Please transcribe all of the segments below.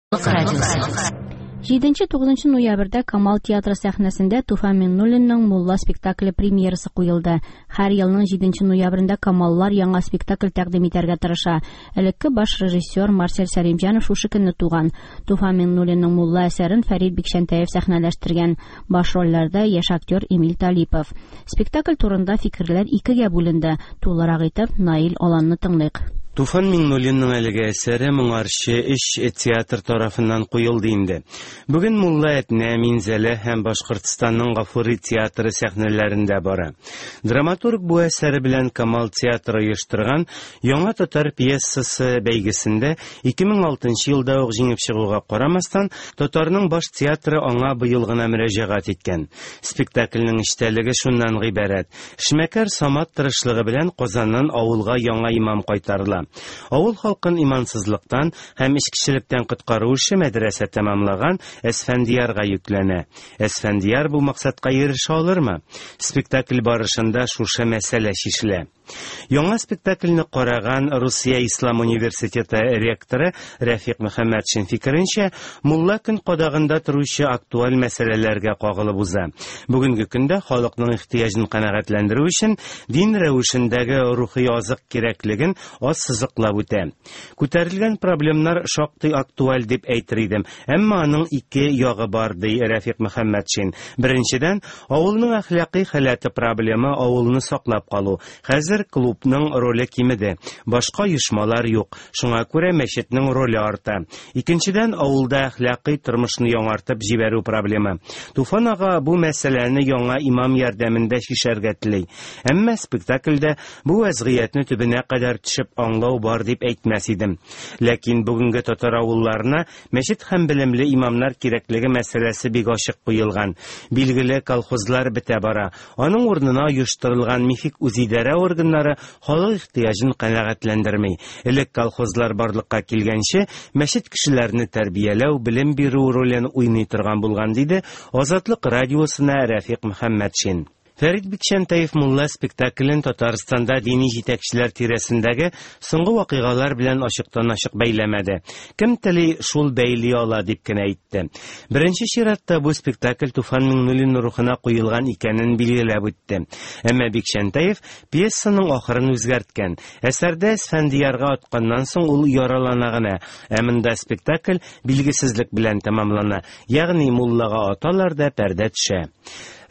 Азатлык радиосы. 7-9 ноябрьдә Камал театры сәхнәсендә Туфан Миңнуллинның Мулла спектакле премьерасы куелды. Һәр елның 7 ноябрендә Камаллар яңа спектакль тәкъдим итәргә тырыша. Элекке баш режиссер Марсель Сәлимҗанов шушы көнне туган. Туфан Миңнуллинның Мулла әсәрен Фәрит Бикчәнтәев сәхнәләштергән. Баш рольләрдә яшь актер Эмиль Талипов. Спектакль турында фикерләр икегә бүленде. Тулырак итеп Наил Аланны тыңлыйк. Туфан Миңнуллинның әлеге әсәре моңарчы өч театр тарафыннан куелды инде. Бүген Мулла Әтнә, Минзәлә һәм Башкортстанның Гафури театры сәхнәләрендә бара. Драматург бу әсәре белән Камал театры оештырган Яңа татар пьесасы бәйгесендә 2006 елда ук җиңеп чыгуга карамастан, татарның баш театры аңа быел гына мөрәҗәгать иткән. Спектакльнең эчтәлеге шуннан гыйбарәт. Эшмәкәр Самат тырышлыгы белән Казаннан авылга яңа имам кайтарыла. Авыл халкын имансызлыктан һәм эчкечелектән коткару эше мәдрәсә тәмамлаган Әсфәндиярга йөкләнә. Әсфәндияр бу максатка ирешә алырмы? Спектакль барышында шушы мәсьәлә чишелә. Яңа спектакльне караган Русия Ислам университеты ректоры Рәфикъ Мөхәммәтшин фикеренчә, мулла көн кадагында торучы актуаль мәсьәләләргә кагылып уза. Бүгенге көндә халыкның ихтыяҗын канәгатьләндерү өчен дин рәвешендәге рухи азык кирәклеген ассызыклап үтә. Күтәрелгән проблемнар шактый актуаль дип әйтер идем, әмма аның ике ягы бар, ди Рәфикъ Мөхәммәтшин. Беренчедән, авылның әхлакый халәте проблемы авылны саклап калу. Хәзер клубның роле кимеде. Башка оешмалар юк. Шуңа күрә мәчетнең роле арта. Икенчедән, авылда әхлакый тормышны яңартып җибәрү проблемы. Туфан ага бу мәсьәләне яңа имам ярдәмендә чишәргә тели. Әмма спектакльдә бу вәзгыятьне төбенә кадәр төшеп аңлау бар дип әйтмәс идем. Ләкин бүгенге татар авылларына Мәчет һәм белемле имамнар кирәклеге мәсьәләсе бик ачык куелган. Билгеле, колхозлар бетә бара. Аның урынына оештырылган мифик үзидарә органнары халык ихтыяҗын канәгатьләндерми. Элек колхозлар барлыкка килгәнче, мәчет кешеләрне тәрбияләү, белем бирү ролен уйный торган булган, диде Азатлык радиосына Рәфикъ Мөхәммәтшин. Фәрит Бикчәнтәев Мулла спектаклен Татарстанда дини җитәкчеләр тирәсендәге соңгы вакыйгалар белән ачыктан-ачык бәйләмәде. Кем тели, шул бәйли ала, дип кенә әйтте. Беренче чиратта бу спектакль Туфан Миңнуллин рухына куелган икәнен билгеләп үтте. Әмма Бикчәнтәев пьесаның ахырын үзгәрткән. Әсәрдә Әсфәндиярга атканнан соң ул яралана гына, ә монда спектакль билгесезлек белән тәмамлана, ягъни муллага аталар да пәрдә төшә.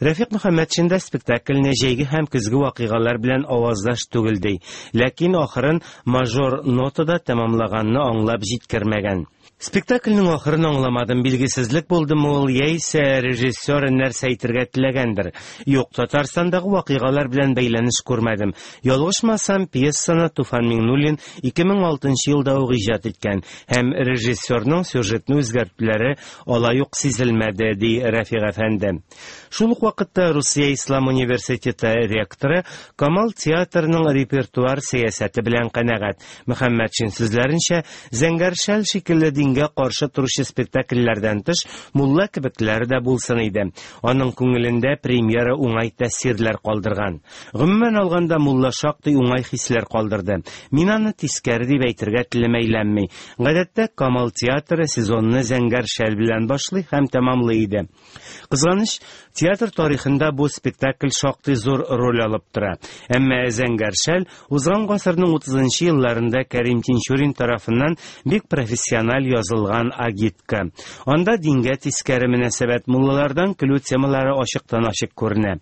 Рәфикъ Мөхәммәтшин дә спектакльне җәйге һәм көзге вакыйгалар белән аваздаш түгел ди. Ләкин ахырын мажор нотада тәмамлаганны аңлап җиткермәгән. Спектакльнең ахырын аңламадым, билгесезлек булдымы ул, яисә режиссер нәрсә әйтергә теләгәндер. Юк, Татарстандагы вакыйгалар белән бәйләнеш күрмәдем. Ялгышмасам, пьесаны Туфан Миңнуллин 2006 елда ук иҗат иткән һәм режиссерның сюжетны үзгәртүләре алай ук сизелмәде, ди Рәфигъ әфәнде. Шул ук вакытта Русия Ислам университеты ректоры Камал театрының репертуар сәясәте белән канәгать. Мөхәммәтшин сүзләренчә, Зәңгәр шәл шикелле дингә каршы торучы спектакльләрдән тыш, Мулла кебекләре дә булсын иде. Аның күңелендә премьера уңай тәэсирләр калдырган. Гомумән алганда, Мулла шактый уңай хисләр калдырды. Мин аны тискәре дип әйтергә телем әйләнми. Гадәттә, Камал театры сезонны Зәңгәр шәл белән башлый һәм тәмамлый иде. Кызганыч, театр тарихында бу спектакль шактый зур роль алып тора. Әмма Зәңгәр шәл узган гасырның 30 нчы елларында Кәрим Тинчурин тарафыннан бик профессиональ язылган агитка. Анда дингә тискәре мөнәсәбәт, муллалардан көлү темалары ачыктан-ачык күренә.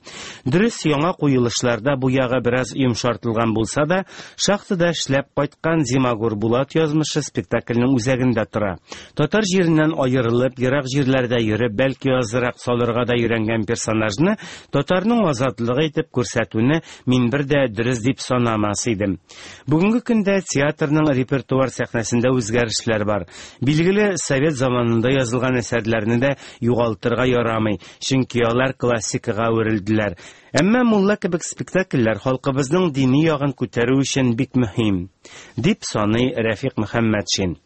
Дөрес, яңа куелышларда бу ягы бераз йомшартылган булса да, шахтада эшләп кайткан Зимагур Булат язмышы спектакльнең үзәгендә тора. Татар җиреннән аерылып, ерак җирләрдә йөреп, бәлки азрак салырга да өйрәнгән персонажны татарның азатлыгы итеп күрсәтүне мин бер дә дөрес дип санамас идем. Бүгенге көндә театрның репертуар сәхнәсендә үзгәрешләр бар. Билгеле, совет заманында язылган әсәрләрне дә югалтырга ярамый, чөнки алар классикага әверелделәр. Әмма Мулла кебек спектакльләр халкыбызның дини ягын күтәрү өчен бик мөһим, дип саный Рәфикъ Мөхәммәтшин.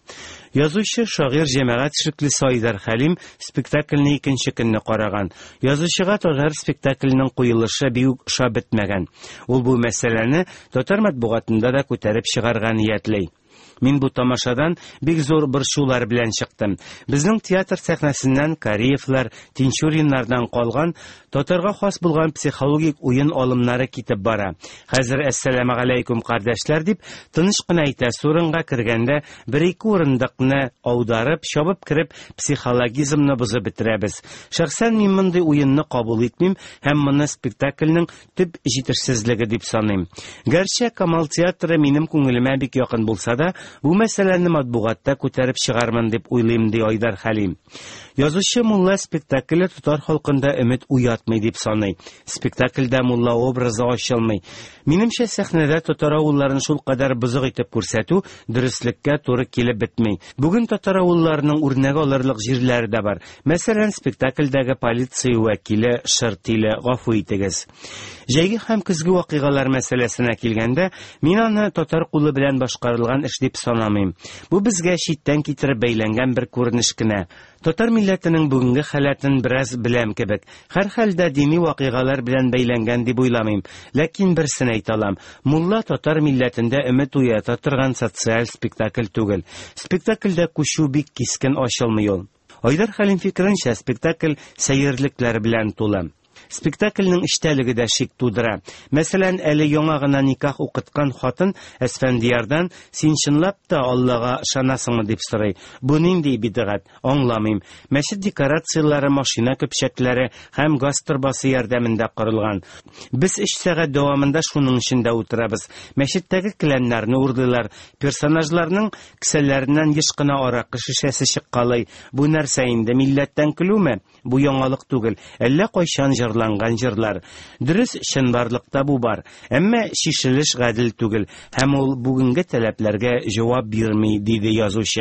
Язучы, шагыйрь, җәмәгать эшлеклесе Айдар Хәлим спектакльне икенче көнне караган. Язучыга татар спектакленең куелышы бик үк ошап бетмәгән. Ул бу мәсьәләне татар матбугатында да күтәреп чыгарга ниятли. Мин бу тамашадан бик зур борчулар белән чыктым. Безнең театр сәхнәсеннән Кариевлар, Тинчуриннардан калган татарга хас булган психологик уен алымнары китеп бара. Хәзер әссәламегаләйкүм, кардәшләр дип, тыныч кына әйтәсе урынга кергәндә бер-ике урындыкны аударып, чабып кереп, психологизмны бозып бетерәбез. Шәхсән мин мондый уенны кабул итмим һәм моны спектакльнең төп җитешсезлеге дип саныйм. Гәрчә Камал театры минем күңелемә бик якын булса да, бу мәсьәләне матбугатта күтәреп чыгармын дип уйлыйм, ди Айдар Хәлим. Язучы Мулла спектакле татар халкында өмет уятмый дип саный. Спектакльдә мулла образы ачылмый. Минемчә, сәхнәдә татар авылларын шулкадәр бозык итеп күрсәтү дөреслеккә туры килеп бетми. Бүген татар авылларының үрнәк алырлык җирләре дә бар. Мәсәлән, спектакльдәге полиция вәкиле шыр тиле, гафу итегез. Җәйге һәм көзге вакыйгалар мәсьәләсенә килгәндә, мин аны татар кулы белән башкарылган эш дип санамыйм. Бу безгә читтән китереп бәйләнгән бер күренеш кенә. Татар милләтенең бүгенге халәтен бераз беләм кебек. Һәрхәлдә дини вакыйгалар белән бәйләнгән дип уйламыйм. Ләкин берсен әйтә алам. Мулла татар милләтендә өмет уята торган социаль спектакль түгел. Спектакльдә күчү бик кискен ачылмый ул. Айдар Хәлим фикеренчә, спектакль сәерлекләр белән тулы. Спектакльнең эчтәлеге дә шик тудыра. Мәсәлән, әле яңа гына никах укыткан хатын Әсфәндиярдан «Син чынлап та Аллага ышанасыңмы?» дип сорый. Бу нинди бидгать? Аңламыйм. Мәчет декорацияләре машина көпчәкләре һәм газ торбасы ярдәмендә корылган. Без өч сәгать дәвамында шуның эчендә утырабыз. Мәчеттәге келәмнәрне урлыйлар. Персонажларның Кесәләреннән еш кына аракы шешәсе чыккалый. Бу нәрсә инде, милләттән көлүме? Бу яңалык түгел, әллә кайчан җырланган җырлар. Дөрес, чынбарлыкта бу бар. Әмма чишелеш гадел түгел һәм ул бүгенге таләпләргә җавап бирми, диде язучы.